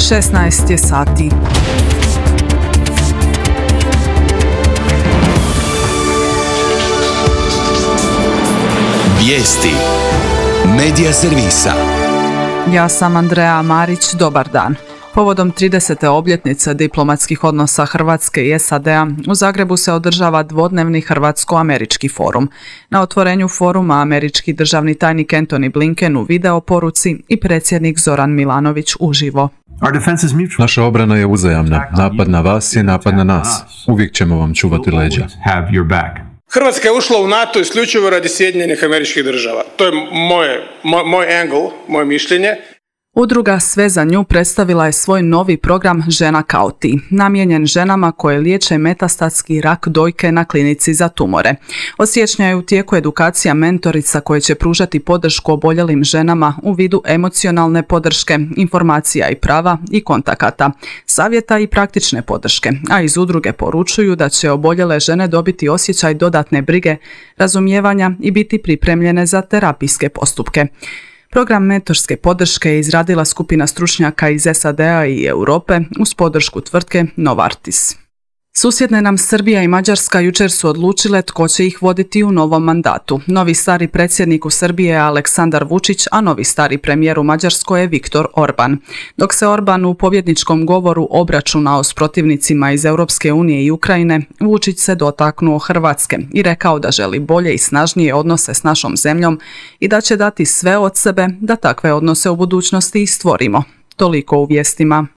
16 je sati. Vijesti Medija servisa. Ja sam Andrea Marić, dobar dan. Povodom 30. obljetnice diplomatskih odnosa Hrvatske i SAD-a u Zagrebu se održava dvodnevni hrvatsko-američki forum. Na otvorenju foruma američki državni tajnik Antony Blinken u video poruci i predsjednik Zoran Milanović uživo. Naša obrana je uzajamna. Napad na vas je napad na nas. Uvijek ćemo vam čuvati leđa. Hrvatska je ušla u NATO isključivo radi Sjedinjenih Američkih Država. To je moj angle, moje mišljenje. Udruga Sve za nju predstavila je svoj novi program Žena kao ti, namijenjen ženama koje liječe metastatski rak dojke na klinici za tumore. Od siječnja je u tijeku edukacija mentorica koje će pružati podršku oboljelim ženama u vidu emocionalne podrške, informacija i prava i kontakata, savjeta i praktične podrške, a iz udruge poručuju da će oboljele žene dobiti osjećaj dodatne brige, razumijevanja i biti pripremljene za terapijske postupke. Program mentorske podrške je izradila skupina stručnjaka iz SAD-a i Europe uz podršku tvrtke Novartis. Susjedne nam Srbija i Mađarska jučer su odlučile tko će ih voditi u novom mandatu. Novi stari predsjednik u Srbiji je Aleksandar Vučić, a novi stari premijer u Mađarskoj je Viktor Orban. Dok se Orban u pobjedničkom govoru obračunao s protivnicima iz Europske unije i Ukrajine, Vučić se dotaknuo Hrvatske i rekao da želi bolje i snažnije odnose s našom zemljom i da će dati sve od sebe da takve odnose u budućnosti i stvorimo. Toliko u vijestima.